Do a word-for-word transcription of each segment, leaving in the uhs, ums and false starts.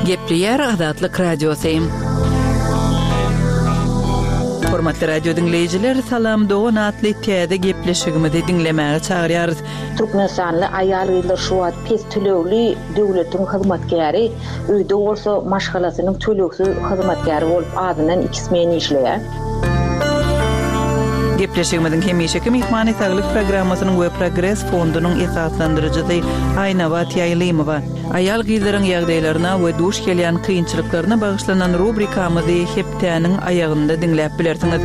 Gepleýär Azatlyk Radiosy. Hormatly radio diňleýjiler, Salam dogan atly täze gepleşigimizi diňlemäge çagyrýarys. Türkmenistanly aýal-gyzlar şu wagt pes tölegli döwletiň hyzmatkäri, öýde bolsa maşgalasynyň tölegsiz hyzmatkäri bolup azyndan iki smen işleýär. Gepleşigimiziň hemişeki myhmany Saglyk programmasynyň we Progres fondunyň esaslandyryjysy Aýnabat Ýaýlymowa. Aýal-gyzlaryň ýagdaýlaryna we duş gelýän kynçylyklaryna bagyşlanan rubrikamyzy hepdäniň aýagynda diňläp bilersiňiz.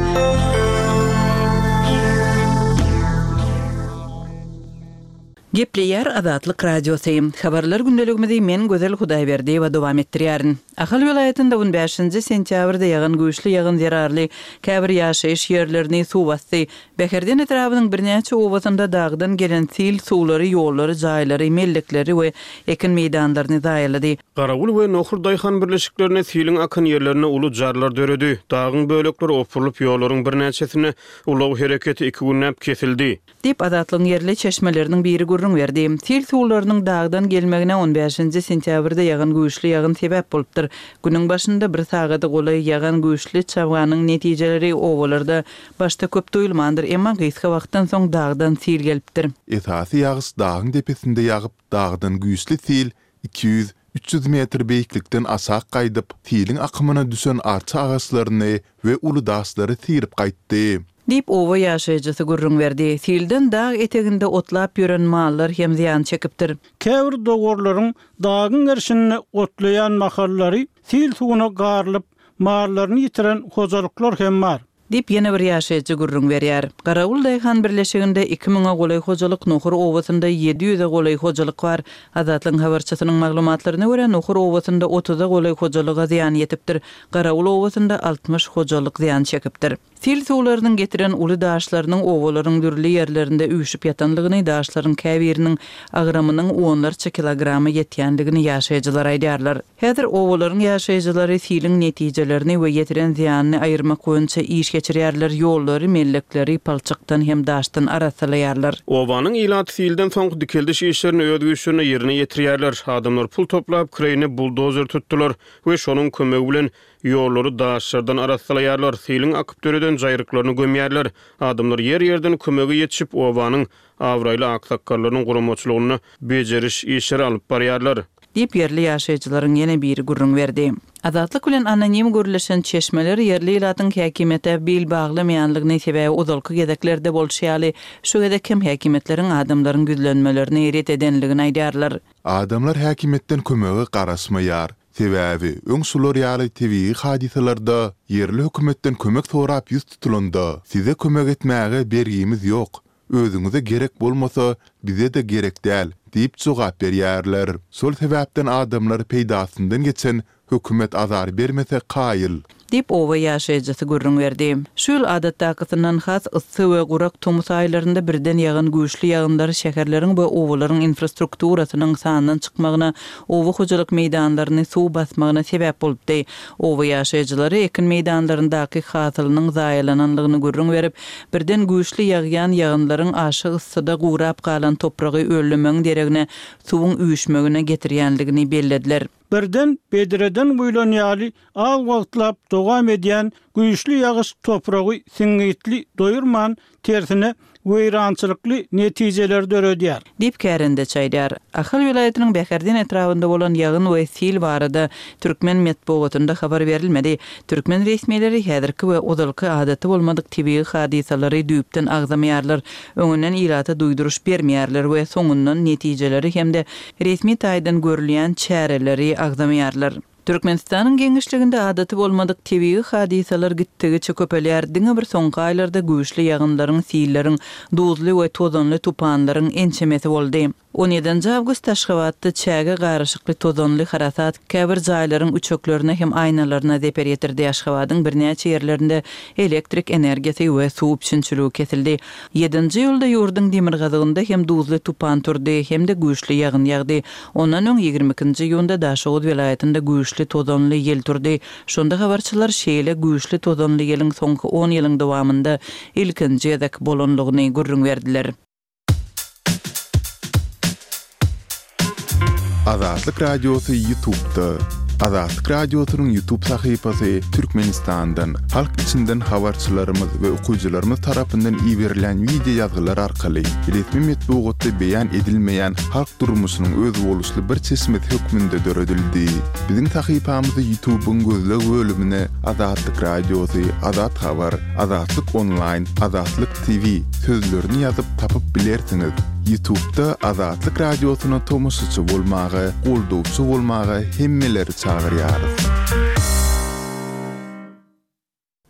Gepleýär Azatlyk Radiosy. Habarlar gündeligimizi men Gözel Hudaýberdiýewa dowam etdirýärin. Ahal welaýatynda on bäşinji sentýabrda ýagan güýçli ýagyn zerarly käbir ýaşaýyş ýerlerini suw basdy. Bäherden etrabynyň birnäçe obasynda dagdan gelen sil suwlary ýollary, jaýlary, mellekleri we ekin meýdanlaryny zaýalady. Garawul we Nohur daýhan birleşiklerine siliň akan ýerlerinde uly jarlar döredi. Dagyň bölekleri opurylyp, ýollaryň birnäçesinde ulag hereketi iki günläp kesildi. Diýip, Azatlygyň ýerli çeşmeleriniň biri gürrüň berdi. Sil suwlarynyň dagdan gelmegine on bäşinji sentýabrda ýagan güýçli ýagyn sebäp bolupdyr. Günüň başynda bir sagada golaý ýagan güýçli çabganyň netijeleri obalarda başda köp duýulmandyr, emma gysga wagtdan soň dagdan sil gelipdir. Esasy ýagyş dagyň depesinde ýagyp, dagdan güýçli sil iki ýüz, üç ýüz metr beýiklikden aşak gaýdyp, siliň akymyna düşen arça agaçlaryny we uly daşlary syryp gaýtdy. Diýip, oba ýaşaýjysy gürrüň berdi. Silden dag eteginde otlap ýören mallar hem zyýan çekipdir. Käbir dowarlaryň dagyň gerşinde otlaýan mahallary sil suwuna garylyp, mallaryny ýitiren hojalyklar hem bar. Diýip, ýene bir ýaşaýjy gürrüň berýär. Garawul daýhan birleşiginde iki müňe golaý hojalyk, Nohur obasynda ýedi ýüze golaý hojalyk bar. Azatlygyň habarçysynyň maglumatlaryna görä, Nohur obasynda otuza golaý hojalyga zyýan ýetipdir. Garawul obasynda altmyş hojalyk zyýan çekipdir. Sil suwlarynyň getiren uly daşlarynyň obalaryň dürli ýerlerinde üýşüp ýatanlygyny, daşlaryň käbiriniň agramynyň onlarça kilograma ýetýänligini ýaşaýjylar aýdýarlar. Häzir obalaryň ýaşaýjylary siliň netijelerini we ýetiren zyýanyny aýyrmak boýunça iş geçirýärler, ýollary, mellekleri palçykdan hem daşdan arassalaýarlar. Obanyň ilaty silden soňky dikeldiş işlerini öz güýçlerine ýerine ýetirýärler. Adamlar pul toplap, kireýine buldozer tutdular we şonuň kömegi bilen ýollary daşlardan arassalaýarlar, siliň akyp döreden jaýryklaryny gömýärler. Adamlar ýer-ýerden kömege ýetişip, obanyň abraýly aksakgallarynyň guramaçylygynda bejeriş işleri alyp barýarlar. Diýip, ýerli ýaşaýjylaryň ýene biri gürrüň berdi. Azatlyk bilen anonim gürleşen çeşmeler ýerli ilatyň häkimiýete bil baglamaýanlygyny, sebäbi ozalky gezeklerde bolşy ýaly, şu gezek hem häkimiýetleriň adamlaryň ýüzlenmelerini ret edenligini aýdýarlar. Adamlar häkimiýetden kömege garaşmaýar. Sebäbi öň şular ýaly tebigy hadysalarda ýerli hökümetden kömek sorap ýüz tutulanda, size kömek etmäge bergimiz ýok, özüňize gerek bolmasa, bize-de gerek däl diýip jogap berýärler. Şol sebäpden adamlar peýdasyndan geçen hökümet azar bermese kaýyl. Diýip, oba ýaşaýjysy gürrüň berdi. Şu ýyl adatdakysyndan has yssy we gurak tomus aýlarynda birden ýagan güýçli ýagynlar şäherleriň we obalaryň infrastrukturasynyň sandan çykmagyna, oba hojalyk meýdanlaryny suw basmagyna sebäp bolupdy. Oba ýaşaýjylary ekin meýdanlaryndaky hasylynyň zaýalananlygyny gürrüň berip, birden güýçli ýagýan ýagynlaryň aşa yssyda gurap galan topragy öllümegiň deregine suwuň üýşmegine getirýänligini bellediler. Birden bedreden guýlan ýaly az wagtlap dowam edýän güýçli ýagyş topragy siňňitli doýurman, tersine weýrançylykly netijeler döredýär. Diýip kärende çaýdar. Ahal welaýatynyň Bäherden etrabynda bolan ýagyn we sil barada türkmen metbugatynda habar berilmedi. Türkmen resmileri häzirki we ozalky adaty bolmadyk tebigy hadysalary düýpden agzamaýarlar. Öňünden ilata duýduryş bermeýärler we soňundan netijeleri hem-de resmi taýdan görülýän çäreleri agzamaýarlar. Türkmenistanyň giňişliginde adaty bolmadyk tebigy hadysalar gitdigiçe köpelýär. Diňe bir soňky aýlarda güýçli ýagynlaryň, silleriň, duzly we tozanly tupanlaryň ençemesi boldy. On ýedinji awgust Aşgabatda çäge garyşykly tozanly harasat käbir jaýlaryň üçeklerine hem aýnalaryna zeper ýetirdi. Aşgabadyň birnäçe ýerlerinde elektrik energiýasy we suw üpjünçiligi kesildi. Ýedinji iýulda ýurduň demirgazygynda hem duzly tupan turdy, hem-de güýçli ýagyn ýagdy. Ondan öň ýigrimi ikinji iýunda Daşoguz welaýatynda güýçli tozanly ýel turdy. Şonda habarçylar şeýle güýçli tozanly ýeliň soňky on ýylyň dowamynda ilkinji gezek bolanlygyny gürrüň berdiler. Azatlyk Radiosy YouTube'da. Azatlyk Radiosynyň YouTube sahypasy Türkmenistandan, halk içinden habarçylarymyz we okyjylarymyz tarapyndan iberilýän wideo ýazgylar arkaly resmi metbugatda beýan edilmeýän halk durmuşynyň özboluşly bir çeşmesi hökmünde döredildi. Biziň sahypamyzy YouTube-yň gözleg bölümine Azatlyk Radiosy, Azat Habar, Azatlyk Onlaýn, Azatlyk T V sözlerini ýazyp tapyp bilersiňiz. YouTube-da Azatlyk Radiosyna tomaşaçy bolmaga, goldawçy bolmaga hemmeleri çagyrýarys.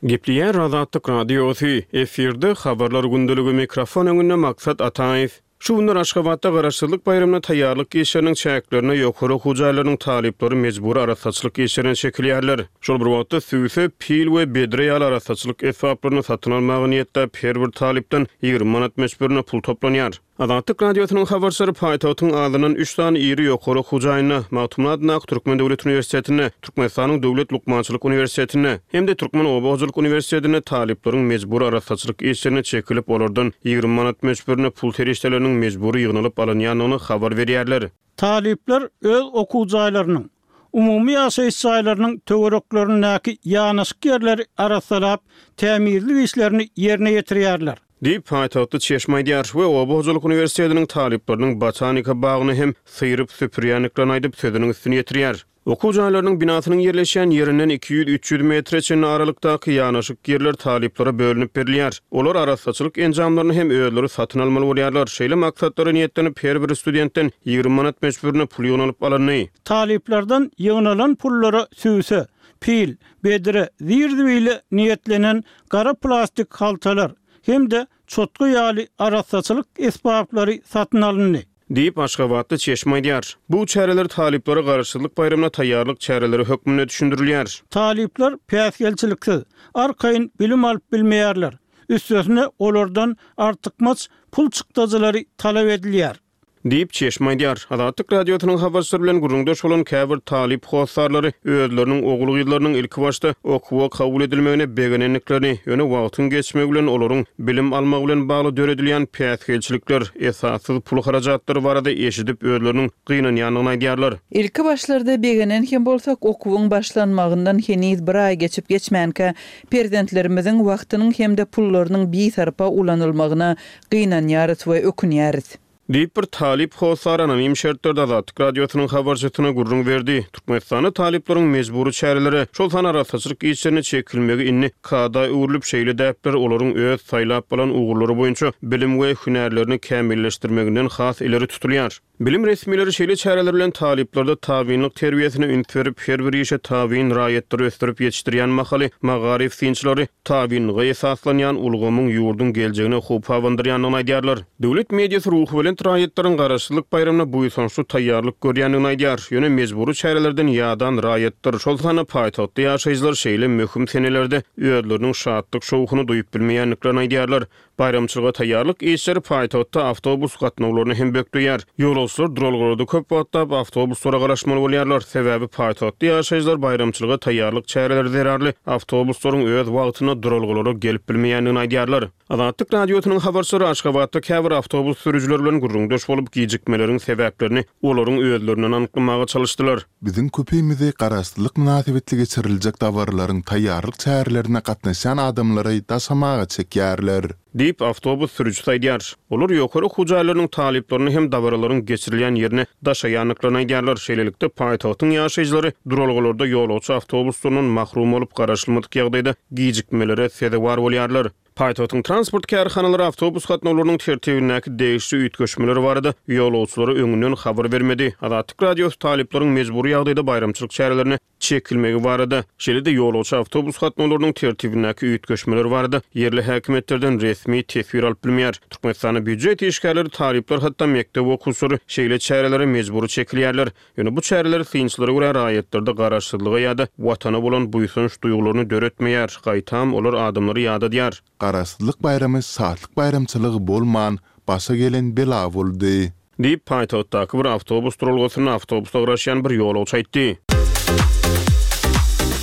Gepleýär Azatlyk Radiosy, efirde Habarlar gündeligi, mikrofon öňünde Maksat Ataýew. Şu günler Aşgabatda Garaşsyzlyk baýramyna taýýarlyk işleriniň çäklerinde ýokary okuw jaýlarynyň talyplary mejbury arassaçylyk işlerine çekilýärler. Şol bir wagtda süýse, pil we bedre ýaly arassaçylyk esbaplaryny satyn almaga niýetläp her bir talypdan ýigrimi manat möçberinde pul toplanýar. Azatlyk Radiosynyň habarçylary paýtagtyň azyndan üç sany iri ýokary okuw jaýynda, Magtymguly adyndaky Türkmen döwlet uniwersitetinde, Türkmenistanyň Döwlet lukmançylyk uniwersitetinde hem-de Türkmen oba hojalyk uniwersitetinde talyplaryň mejbury arassaçylyk işlerine çekilip, olardan ýigrimi manat möçberinde pul serişdeleriniň mejbury ýygnalyp alynýandygyny habar berýärler. Talyplar öz okuw jaýlarynyň, umumy ýaşaýyş jaýlarynyň töwereklerindäki ýanaşyk ýerleri arassalap, tämizlik işlerini ýerine ýetirýärler. Diýip, paýtagtly çeşme aýdýar we oba hojalyk uniwersitetiniň talyplarynyň botanika bagyny hem syryp süpürýändiklerini aýdyp, sözüniň üstüni ýetirýär. Okuw jaýlarynyň binasynyň ýerleşýän ýerinden iki ýüz-üç ýüz metre çenli aralykdaky ýanaşyk ýerler talyplara bölünip berilýär. Olar arassaçylyk enjamlaryny hem özleri satyn almaly bolýarlar. Şeýle maksatlara niýetlenip, her bir studentden ýigrimi manat möçberinde pul ýygnalyp alyndy. Talyplardan ýygnalan pullara süýse, pil, bedre, zir-zibile niýetlenen gara plastik haltalar hem-de çotga ýaly arassaçylyk esbaplary satyn alyndy. Diýip, Aşgabatly çeşme aýdýar. Bu çäreler talyplara Garaşsyzlyk baýramyna taýýarlyk çäreleri hökmünde düşündirilýär. Talyplar päsgelçiliksiz, arkaýyn bilim alyp bilmeýärler. Üstesine olardan artykmaç pul çykdajylary talap edilýär. Diýip, çeşme aýdýar. Azatlyk Radiosynyň habarçylary bilen gürrüňdeş bolan käbir talyp hossarlary özleriniň ogul-gyzlarynyň ilki başda okuwa kabul edilmegine begenendiklerini, ýöne wagtyň geçmegi bilen olaryň bilim almagy bilen bagly döredilýän päsgelçilikler, esassyz pul harajatlary barada eşidip özleriniň gynanýandygyny aýdýarlar. Ilki başlarda begenen hem bolsak, okuwyň başlanmagyndan heniz bir aý geçip geçmänkä, perzentlerimiziň wagtynyň hem-de pullarynyň bisarpa ulanylmagyna gynanýarys we ökünýäris. Diýip, bir talyp hossar anonim şertlerde Azatlyk Radiosynyň habarçysyna gürrüň berdi. Türkmenistanda talyplaryň mejbury çärelere, şol sanda arassaçylyk işlerine çekilmegi indi kada öwrülip, şeýle däpler olaryň öz saýlap alan ugurlary boýunça bilim we hünärlerini kämilleşdirmeginden has ileri tutulýar. Bilim resmileri şeýle çäreler bilen talyplarda tabynlyk terbiýesine üns berip, her bir işe tabyn raýatlary ösdürip ýetişdirýän mahaly magaryf synçylary tabynlyga esaslanýan ulgamyň ýurduň geljegine howp abandyrýandygyny aýdýarlar. Döwlet mediasy ruhubelent raýatlaryň Garaşsyzlyk baýramyna buýsançly taýýarlyk görýändigini aýdýar. Ýöne mejbury çärelerden ýadan raýatlar, şol sanda paýtagtda ýaşaýjylar şeýle möhüm senelerde özleriniň şatlyk şowhuny duýup bilmeýändiklerini aýdýarlar. Baýramçylyga taýýarlyk işleri paýtagtda awtobus gatnawlaryny hem bökdeýär. Ýolagçylar duralgalarda köp wagtlap awtobuslara garaşmaly bolýarlar. Sebäbi paýtagtda ýaşaýjylar baýramçylyga taýýarlyk çäreleri zerarly awtobuslaryň öz wagtynda duralgalara gelip bilmeýändigini aýdýarlar. Azatlyk Radiosynyň habarçylary Aşgabatda käbir awtobus sürüjileri bilen gürrüňdeş bolup, gijikmeleriň sebäplerini olaryň özlerinden anyklamaga çalyşdylar. Biziň köpimizi Garaşsyzlyk mynasybetli geçiriljek dabaralaryň taýýarlyk çärelerine gatnaşýan adamlary daşamaga çekýärler. Diýip, awtobus sürüjisi aýdýar. Olar ýokary okuw jaýlarynyň talyplaryny hem dabaralaryň geçirilýän ýerine daşaýandyklaryny aýdýarlar. Şeýlelikde, paýtagtyň ýaşaýjylary duralgalarda ýolagçy awtobuslaryndan mahrum bolup, garaşylmadyk ýagdaýda gijikmelere sezewar bolýarlar. Paýtagtyň transport kärhanalary awtobus gatnawlarynyň tertibindäki degişli üýtgeşmeler barada ýolagçylara öňünden habar bermedi. Azatlyk Radiosy talyplaryň mejbury ýagdaýda baýramçylyk çärelerine çekilmegi barada, şeýle-de ýolagçy awtobus gatnawlarynyň tertibindäki üýtgeşmeler barada ýerli häkimiýetlerden resmi teswir alyp bilmeýär. Türkmenistanda býujet işgärleri, talyplar, hatda mekdep okuwçylary şeýle çärelere mejbury çekilýärler. Ýöne bu çäreler synçylara görä raýatlarda garaşsyzlyga ýa-da watana bolan buýsanç duýgularyny döretmeýär, gaýtam olar adamlary ýadadýar. Garaşsyzlyk baýramy şatlyk baýramçylygy bolman, başa gelen bela boldy. Diýip, paýtagtdaky bir awtobus duralgasynda awtobusa garaşýan bir ýolagçy aýtdy.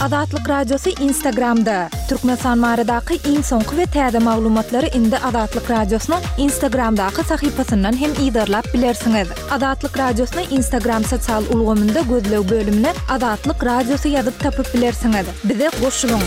Azatlyk Radiosy Instagramda! Türkmenistan baradaky iň soňky we täze maglumatlary indi Azatlyk Radiosynyň Instagramdaky sahypasyndan hem yzarlap bilersiňiz. Azatlyk Radiosyny Instagram sosial ulgamynda gözleg bölümine Azatlyk Radiosy ýazyp tapyp bilersiňiz. Bize goşulyň!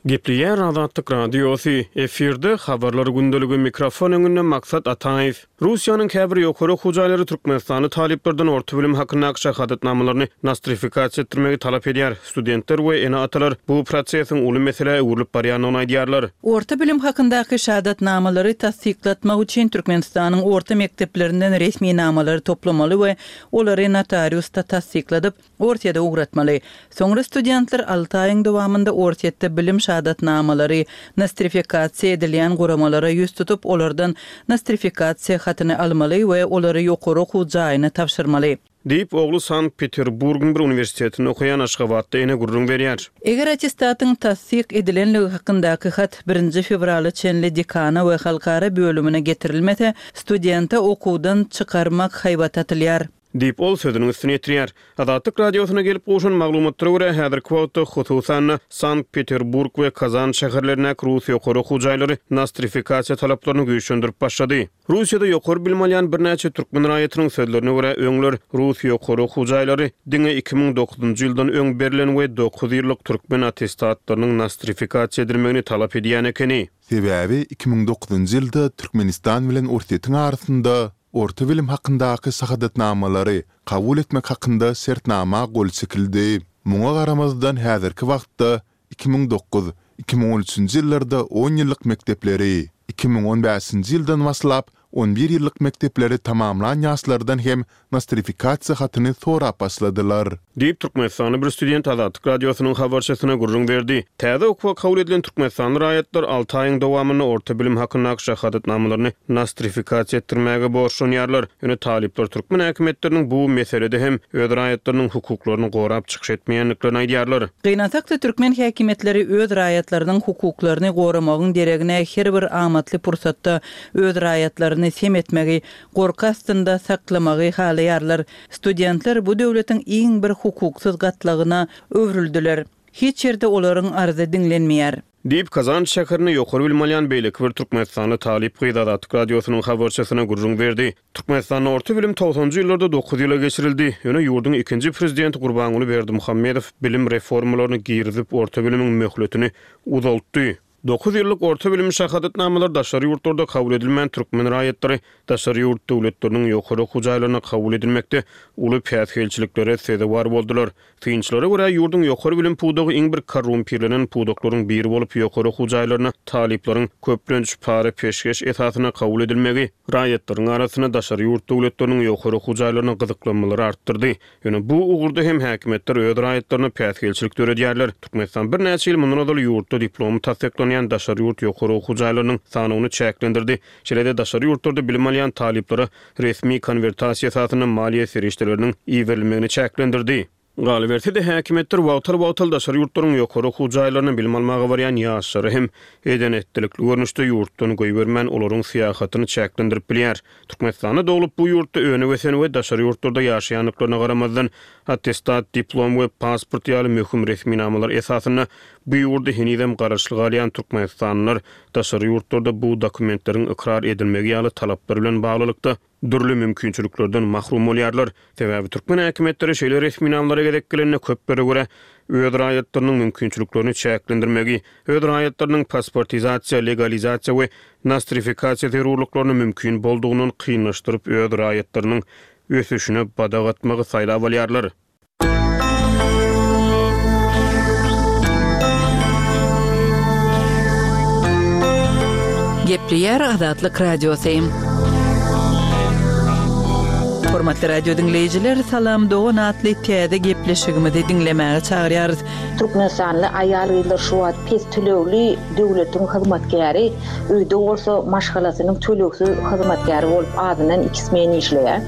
Gepleýär Azatlyk Radiosy, efirde Habarlar gündeligi, mikrofon öňünde Maksat Ataýew. Russiýanyň käbir ýokary okuw jaýlary türkmenistanly talyplardan orta bilim hakyndaky şahadatnamalaryny nostrifikasiýa etdirmegi talap edýär. Studentler we ene-atalar bu prosesiň uly meselä öwrülip barýandygyny aýdýarlar. Orta bilim hakyndaky şahadatnamalary tassyklatmak üçin Türkmenistanyň orta mekdeplerinden resminamalary toplamaly we olary notariusda tassykladyp, Orsýete ugratmaly. Soňra studentler alty aýyň dowamynda Orsýetde bilim şahadatnamalary nostrifikasiýa edilýän guramalara ýüz tutup, olardan nostrifikasiýa hatyny almaly we olary ýokary okuw jaýyna tabşyrmaly. Diýip, ogly Sankt-Peterburgyň bir uniwersitetinde okaýan aşgabatly ene gürrüň berýär. Eger attestatyň tassyk edilenligi hakyndaky hat birinji fewrala çenli dekana we halkara bölümine getirilmese, studente okuwdan çykarmak haýbaty atylýar. Diýip, ol sözüniň üstüni ýetirýär. Azatlyk Radiosyna gelip gowşan maglumatlara görä, häzirki wagtda, hususan-da, Sankt-Peterburg we Kazan şäherlerindäki rus ýokary okuw jaýlary nostrifikasiýa talaplaryny güýçlendirip başlady. Russiýada ýokary bilim alýan birnäçe türkmen raýatynyň sözlerine görä, öňler rus ýokary okuw jaýlary diňe iki müň dokuzynjy ýyldan öň berlen we dokuz ýyllyk türkmen attestatlarynyň nostrifikasiýa edilmegini talap edýän ekeni. Sebäbi iki müň dokuzynjy ýylda Türkmenistan bilen Orsýetiň arasynda Orta bilim hakyndaky şahadatnamalary kabul etmek hakynda şertnama gol çekildi. Muňa garamazdan häzirki wagtda iki müň dokuz, iki müň on üçünji ýyllarda on ýyllyk mekdepleri, iki müň on bäşinji ýyldan başlap on bir ýyllyk mekdepleri tamamlan ýaşlardan hem nostrifikasiýa hatyny sorap başladylar. Diýip, türkmenistanly bir student Azatlyk Radiosynyň habarçysyna gürrüň berdi. Täze okuwa kabul edilen türkmenistanly raýatlar alty aýyň dowamynda orta bilim hakyndaky şahadatnamalaryny nostrifikasiýa etdirmäge borçlanýarlar. Ýöne talyplar türkmen häkimiýetleriniň bu meselede hem öz raýatlarynyň hukuklaryny gorap çykyş etmeýändiklerini aýdýarlar. Gynansak-da, türkmen häkimiýetleri öz raýatlarynyň hukuklaryny goramagyň deregine her bir amatly pursatda öz raýatlaryny sem etmegi, gorky astynda saklamagy halaýarlar. Studentler bu döwletiň iň bir hukuksyz gatlagyna öwrüldiler. Hiç ýerde olaryň arzy diňlenmeýär. Diýip, Kazan şäherinde ýokary bilim alýan beýleki bir türkmenistanly talyp gyz Azatlyk Radiosynyň habarçysyna gürrüň berdi. Türkmenistanda orta bilim togsanjy ýyllarda dokuz ýyla geçirildi. Ýöne ýurduň ikinji prezidenti Gurbanguly Berdimuhamedow bilim reformalaryny girizip, orta bilimiň möhletini uzaltdy. Dokuz ýyllyk orta bilim şahadatnamalary daşary ýurtlarda kabul edilmän, türkmen raýatlary daşary ýurt döwletleriniň ýokary okuw jaýlaryna kabul edilmekde uly päsgelçiliklere sezewar boldular. Synçylara görä, ýurduň ýokary bilim pudagy iň bir korrumpirlenen pudaklaryň biri bolup, ýokary okuw jaýlaryna talyplaryň köplenç para-peşgeş esasynda kabul edilmegi raýatlaryň arasynda daşary ýurt döwletleriniň ýokary okuw jaýlaryna gyzyklanmalary artdyrdy. Ýöne bu ugurda hem häkimiýetler öz raýatlaryna päsgelçilik döredýärler. Türkmenistan birnäçe ýyl mundan ozal ýurtda diplomy tassyklanýan daşary ýurt ýokary okuw jaýlarynyň sanawyny çäklendirdi. Şeýle-de daşary ýurtlarda bilim alýan talyplara resmi konwertasiýa esasynda maliýe serişdeleriniň iberilmegini çäklendirdi. Galyberse-de, häkimiýetler wagtal-wagtal daşary ýurtlaryň ýokary okuw jaýlaryna bilim almaga barýan ýaşlary hem eden-etdilikli görnüşde ýurtdan goýbermän, olaryň syýahatyny çäklendirip bilýär. Türkmenistanda doglup, bu ýurtda önüp-ösen we daşary ýurtlarda ýaşaýandyklaryna garamazdan, attestat, diplom we pasport ýaly möhüm resminamalar esasynda bu ýurda henizem garaşly galýan türkmenistanlylar daşary ýurtlarda bu dokumentleriň ykrar edilmegi ýaly talaplar bilen baglylykda, dürli mümkinçiliklerden mahrum bolýarlar. Sebäbi türkmen häkimiýetleri şeýle resminamalara gezek gelende köplere görä öz raýatlarynyň mümkinçiliklerini çäklendirmegi, öz raýatlarynyň pasportizasiýa, legalizasiýa we nostrifikasiýa zerurlyklaryny mümkin boldugyndan kynlaşdyryp öz raýatlarynyň ösüşine badak atmagy saýlap alýarlar. Gepleýär Azatlyk Radiosy. Hormatly radio diňleýjiler, Salam dogan atly täze gepleşigimizi diňlemäge çagyrýarys. Türkmenistanly aýal-gyzlar şu wagt pes tölegli döwletiň hyzmatkäri, öýde bolsa maşgalasynyň tölegsiz hyzmatkäri bolup azyndan iki smen işleýär.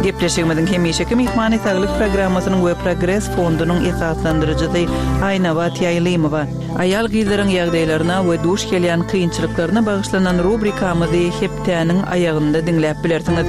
Gepleşigimiziň hemişeki myhmany Saglyk programmasynyň we Progres fondunyň esaslandyryjysy Aýnabat Ýaýlymowa. Aýal-gyzlaryň ýagdaýlaryna we duş gelýän kynçylyklaryna bagyşlanan rubrikamyzy hepdäniň aýagynda diňläp bilersiňiz.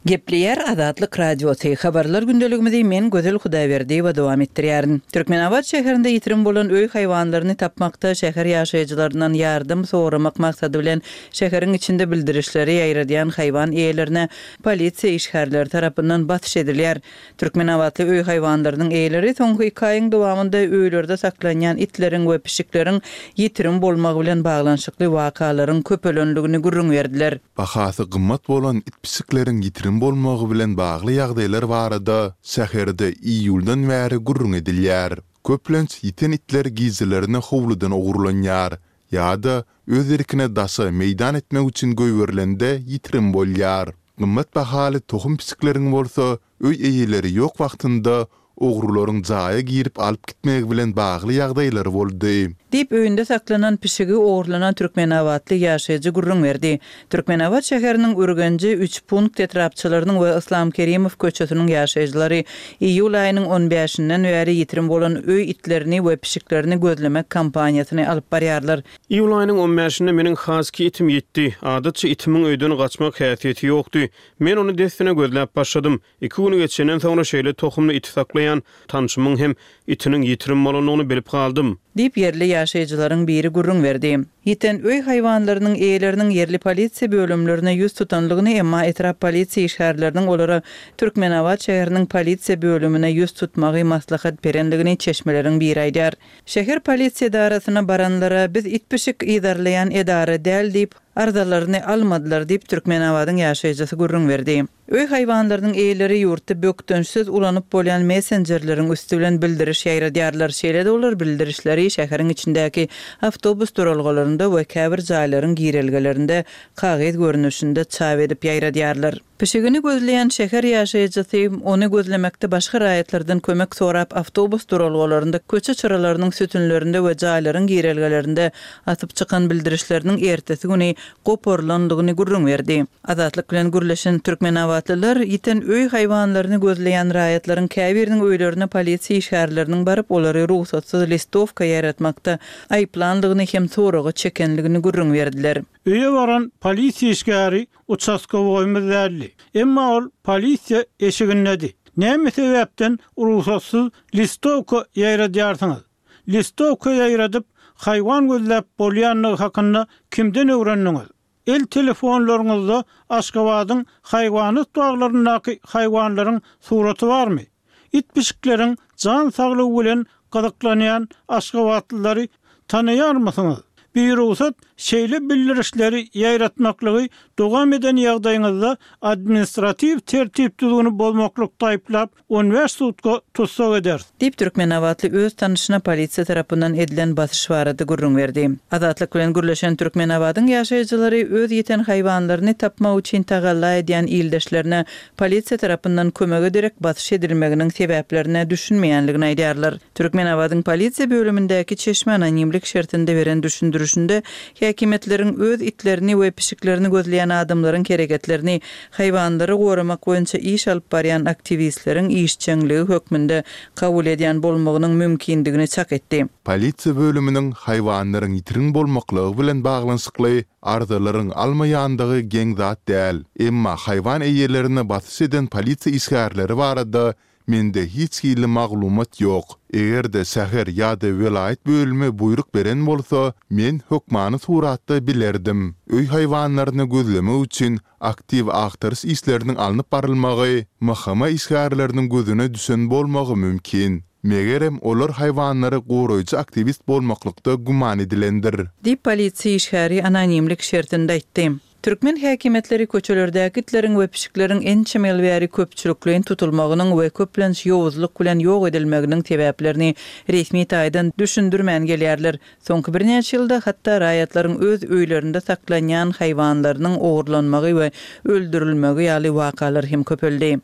Gepleýär Azatlyk Radiosy, Habarlar gündeligimizi men Gözel Hudaýberdiýewa dowam etdirýärin. Türkmenabat şäherinde ýitirim bolan öý haýwanlaryny tapmakda şäher ýaşaýjylaryndan ýardam soramak maksady bilen şäheriň içinde bildirişleri ýaýradýan haýwan eýelerine polisiýa işgärleri tarapyndan basyş edilýär. Türkmenabatly öý haýwanlarynyň eýeleri soňky iki aýyň dowamynda öýlerde saklanýan itleriň we pişikleriň ýitirim bolmagy bilen baglanyşykly wakalaryň köpelendigini gürrüň berdiler. Bahasy gymmat bolan it-pişikleriň ýitirim bolmagy bilen bagly ýagdaýlar barada şäherde iýuldan bäri gürrüň edilýär. Köplenç ýiten itler gijelerine howludan ogurlanýar ýa-da öz erkine daşa meýdan etmek üçin goýberilende ýitirim bolýar. Gymmat bahaly tohum pişikleriň bolsa öý eýeleri ýok wagtynda ogrularyň jaýa girip alyp gitmegi bilen bagly ýagdaýlar boldy. Diýip, öýünde saklanan pişigi ogurlanan türkmenabatly ýaşaýjy gürrüň berdi. Türkmenabat şäheriniň Ürgenji, Üçpunkt etrapçalarynyň we Yslam Kerimow köçesiniň ýaşaýjylary iýul aýynyň on bäşinden bäri ýitirim bolan öý itlerini we pişiklerini gözlemek kampaniýasyny alyp barýarlar. Iýul aýynyň on bäşinde meniň haski itim ýitdi. Adatça itimiň öýden gaçmak häsiýeti ýokdy. Men ony dessine gözläp başladym. Iki gün geçenden soňra şeýle tohumly iti saklaýan tanşymyň hem itiniň ýitirim bolandygyny bilip galdym. Diýip, ýerli ýaşaýjylaryň biri gürrüň berdi. Ýiten öý haýwanlarynyň eýeleriniň ýerli polisiýa bölümlerine ýüz tutanlygyny, emma etrap polisiýa işgärleriniň olara Türkmenabat şäheriniň polisiýa bölümine ýüz tutmagy maslahat berendigini çeşmeleriň biri aýdýar. Şäher polisiýa edarasyna baranlara biz it-pişik yzarlaýan edara däl diýip, arzalaryny almadylar diýip, Türkmenabadyň ýaşaýjysy gürrüň berdi. Öý haýwanlarynyň eýeleri ýurtda bökdençsiz ulanyp bolýan messenjerleriň üsti bilen bildiriş ýaýradýarlar. Şeýle-de olar bildirişleri şäheriň içindäki awtobus duralgalarynda we käbir jaýlaryň girelgelerinde kagyz görnüşinde çap edip ýaýradýarlar. Pişigini gözleýän şäher ýaşaýjysy ony gözlemekde başga raýatlardan kömek sorap, awtobus duralgalarynda, köçe çyralarynyň sütünlerinde we jaýlaryň girelgelerinde asyp çykan bildirişleriniň ertesi güni goparylandygyny gürrüň berdi. Azatlyk bilen gürleşen türkmenabatlylar ýiten öý haýwanlaryny gözleýän raýatlaryň käbiriniň öýlerine polisiýa işgärleriniň baryp, olary rugsatsyz listowka ýaýratmakda aýyplandygyny hem soraga çekenligini gürrüň berdiler. Öýe baran polisiýa işgäri uçastkowoýymyz däldi. Emma ol polisiýa eşigindedi. Näme sebäpden rugsatsyz listowka ýaýradýarsyňyz? Listowka ýaýradyp, haýwan gözläp bolýandygy hakynda kimden öwrendiňiz? El telefonlaryňyzda Aşgabadyň haýwanat baglaryndaky haýwanlaryň suraty barmy? It-pişikleriň jan saglygy bilen gyzyklanýan aşgabatlylary tanaýarmysyňyz? Birugsat şeýle bildirişleri ýaýratmaklygy dowam eden ýagdaýyňyzda administratiw tertip-düzgüni bozmaklykda aýyplap, on bäş sutka tussag ederis. Diýip, türkmenabatly öz tanyşyna polisiýa tarapyndan edilen basyş barada gürrüň berdi. Azatlyk bilen gürleşen Türkmenabadyň ýaşaýjylary öz ýiten haýwanlaryny tapmak üçin tagalla edýän ildeşlerine polisiýa tarapyndan kömege derek basyş edilmeginiň sebäplerine düşünmeýänligini aýdýarlar. Türkmenabadyň polisiýa bölümindäki çeşme anonimlik şertinde beren düşündirişinde häkimiýetleriň öz itlerini we pişiklerini gözleýän adamlaryň hereketlerini haýwanlary goramak boýunça iş alyp barýan aktiwistleriň işjeňligi hökmünde kabul edýän bolmagynyň mümkindigini çak etdi. Polisiýa bölüminiň haýwanlaryň ýitirim bolmaklygy bilen baglanyşykly arzalaryň almaýandygy geň zat däl. Emma haýwan eýelerine basyş eden polisiýa işgärleri barada mende hiç hili maglumat ýok. Eger-de şäher ýa-da welaýat bölümi buýruk beren bolsa, men hökmany suratda bilerdim. Öý haýwanlaryny gözlemek üçin aktiw agtaryş işleriniň alnyp barylmagy M H M işgärleriniň gözüne düşen bolmagy mümkin. Megerem, olar haýwanlary goraýjy aktiwist bolmaklykda güman edilendir. Diýip, polisiýa işgäri anonimlik şertinde aýtdy. Türkmen häkimiýetleri köçelerdäki itleriň we pişikleriň ençeme ýyl bäri köpçülikleýin tutulmagynyň we köplenç ýowuzlyk bilen ýok edilmeginiň sebäplerini resmi taýdan düşündirmän gelýärler. Soňky birnäçe ýylda hatda raýatlaryň öz öýlerinde saklanýan haýwanlarynyň ogurlanmagy we öldürilmegi ýaly wakalar hem köpeldi.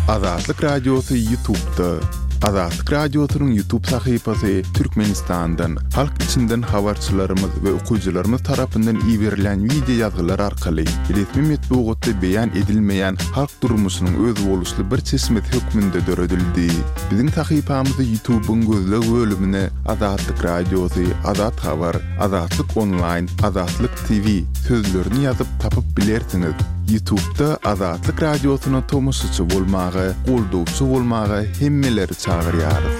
Azatlyk Radiosy YouTube'da. Azatlyk Radiosynyň YouTube sahypasy Türkmenistandan, halk içinden habarçylarymyz we okyjylarymyz tarapyndan iberilýän wideo ýazgylar arkaly resmi metbugatda beýan edilmeýän halk durmuşynyň özboluşly bir çeşmesi hökmünde döredildi. Biziň sahypamyzy YouTube-yň gözleg bölümine Azatlyk Radiosy, Azat Habar, Azatlyk Onlaýn, Azatlyk TV sözlerini ýazyp tapyp bilersiňiz. Ýutubda Azatlyk Radiosyna tomaşaçy bolmaga, goldawçy bolmaga hemmeleri çagyrýarys.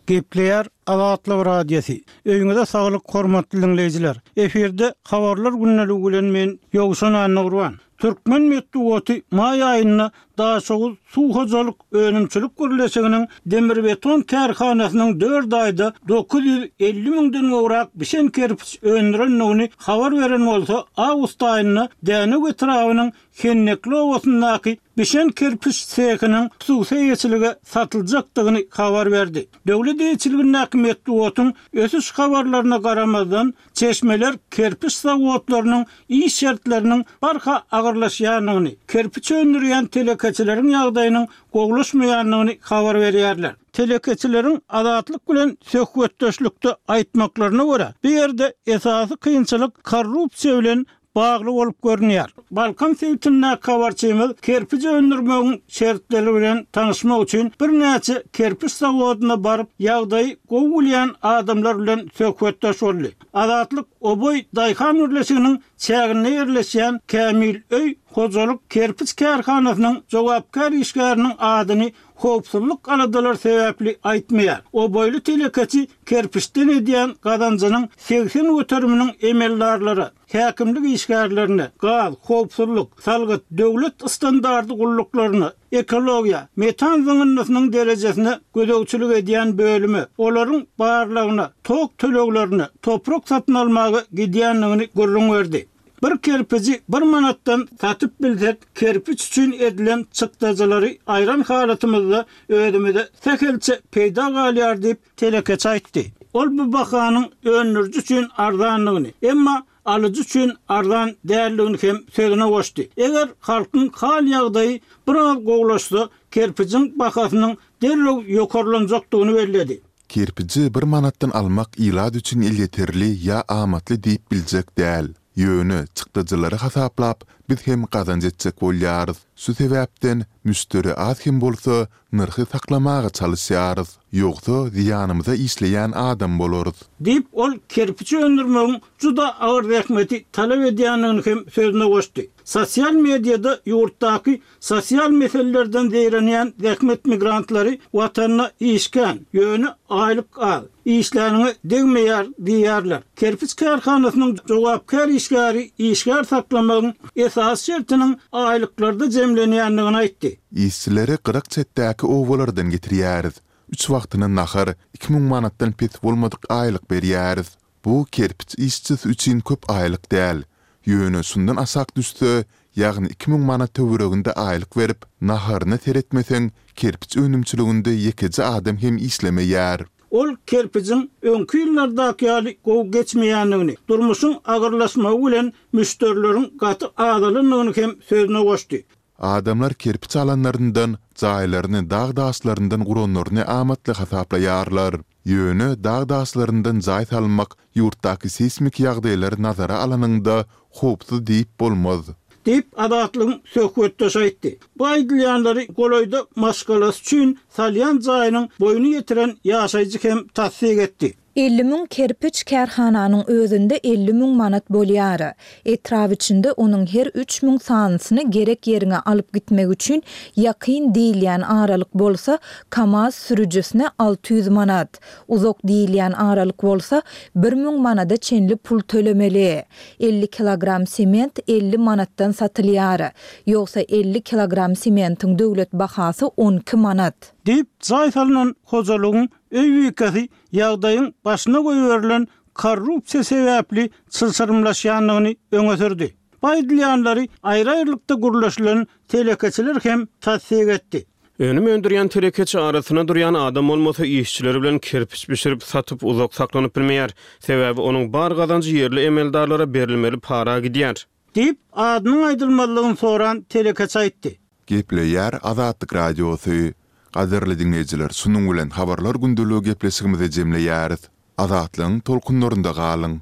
Gepleýär Azatlyk Radiosy. Öýüňize saglyk hormatly diňleýjiler. Efirde Habarlar gündeligi bilen men Ýowşan Annagurban. Türkmen metbugaty maý aýynda Daşoguz suw hojalyk önümçilik birleşiginiň demirbeton kärhanasynyň dört aýda dokuz ýüz elli müňden gowrak bişen kerpiç öndürendigini habar beren bolsa, awgust aýynda Dänew etrabynyň Hennekli obasyndaky bişen kerpiç sehiniň hususy eýeçilige satyljakdygyny habar berdi. Döwlet eýeçiligindäki metbugatyň ösüş habarlaryna garamazdan, çeşmeler kerpiç zawodlarynyň iş şertleriniň barha agyrlaşýandygyny, kerpiç öndürýän telekeçileriň ýagdaýynyň gowulaşmaýandygyny habar berýärler. Telekeçileriň Azatlyk bilen söhbetdeşlikde aýtmaklaryna görä, bu ýerde esasy kynçylyk korrupsiýa bilen bagly bolup görünýär. Balkan sebitindäki habarçymyz kerpiç öndürmegiň şertleri bilen tanyşmak üçin birnäçe kerpiç zawodyna baryp, ýagdaýy gowy bilýän adamlar bilen söhbetdeş boldy. Azatlyk Oboý daýhan birleşiginiň çäginde ýerleşýän Kämil öý hojalyk kerpiç kärhanasynyň jogapkär işgäriniň adyny howpsuzlyk aladalary sebäpli aýtmaýar. Oboýly telekeçi kerpiçden edýän gazanjynyň segsen göteriminiň emeldarlara, häkimlik işgärlerine, gaz, howpsuzlyk, salgyt, döwlet standardy gulluklaryna, ekologiýa, metan zyňyndysynyň derejesine gözegçilik edýän bölüme, olaryň barlagyna, tok töleglerine, toprak satyn almaga gidýändigini gürrüň berdi. Bir kerpiji bir manatdan satyp bilsek, kerpiç üçin edilen çykdajylary aýran halatymyzda özümize sähelçe peýda galýar diýip, telekeçi aýtdy. Ol bu bahanyň öndüriji üçin arzandygyny, emma alyjy üçin arzan däldigini hem sözüne goşdy. Eger halkyň hal-ýagdaýy biraz gowulaşsa, kerpijiň bahasynyň derrew ýokarlanjakdygyny belledi. Kerpiji bir manatdan almak ilat üçin elýeterli ýa amatly diýip biljek däl. Ýöne, çykdajylary hasaplap, biz hem gazanç etjek bolýarys. Şu sebäpden, müşderi az hem bolsa, nyrhy saklamaga çalyşýarys. Ýogsa, zyýanymyza işleýän adam bolarys. Diýip, ol kerpiç öndürmegiň juda agyr zähmeti talap edýändigini hem sözüne goşdy. Sosial mediada ýurtdaky Sosial meselelerden zeýrenýän zähmet migrantlary Watanda iş kän, ýöne aýlyk az, işläniňe degmeýär diýýärler. Kerpiç kärhanasynyň jogapkär işgäri işgär saklamagyň esasy şertiniň aýlyklarda jemlenýändigini aýtdy. Işçileri gyrak-çetdäki obalardan getirýäris. Üç wagtyna nahar, iki müň manatdan pes bolmadyk aýlyk berýäris. Bu kerpiç işçisi üçin köp aýlyk däl. Ýöne şundan aşak düşse, ýagny iki müň manat töwereginde aýlyk berip, naharyna seretmeseň, kerpiç önümçiliginde ýekeje adam hem işlemeýär. Ol kerpijiň öňki ýyllardaky ýaly gowy geçmeýändigini, durmuşyň agyrlaşmagy bilen müşderileriň gaty azalandygyny hem sözüne goşdy. Adamlar kerpiç alanlaryndan, jaýlaryny dag daşlaryndan guranlaryny amatly hasaplaýarlar. Ýöne dag daşlaryndan jaý salmak ýurtdaky seýsmik ýagdaýlary nazara alanyňda howpsuz diýip bolmaz. Diýip, Azatlygyň söhbetdeşi aýtdy. Bu aýdylýanlary golaýda maşgalasy üçin salýan jaýynyň boýuny ýetiren ýaşaýjy hem tassyk etdi. Elli müň kerpiç kärhananyň özünde elli müň manat bolýar. Etrap içinde onuň her üç müň sanysyny gerek ýeriňe alyp gitmek üçin ýakyn diýilýän aralyk bolsa, KAMAZ sürüjisine alty ýüz manat, uzak diýilýän aralyk bolsa, bir müň manada çenli pul tölemeli. Elli kilogram sement elli manatdan satylýar. Ýogsa elli kilogram sementiň döwlet bahasy on iki manat. Diýip, jaý salnan hojalygyň öý bikesi ýagdaýyň başyna goýberilen korrupsiýa sebäpli çylşyrymlaşýandygyny öňe sürdi. Bu aýdylýanlary aýry-aýrylykda gürleşilen telekeçiler hem tassyk etdi. Önüm öndürýän telekeçi arasynda durýan adam bolmasa, işçileri bilen kerpiç bişirip satyp uzak saklanyp bilmeýär. Sebäbi onuň bar gazanjy ýerli emeldarlara berilmeli para gidýär. Diýip, adynyň aýdylmazlygyny soran telekeçi aýtdy. Gepleýär Azatlyk Radiosy. Gadyrly diňleýjiler, şunuň bilen Habarlar gündeligi gepleşigimizi jemleýäris. Azatlygyň tolkunlarynda galyň!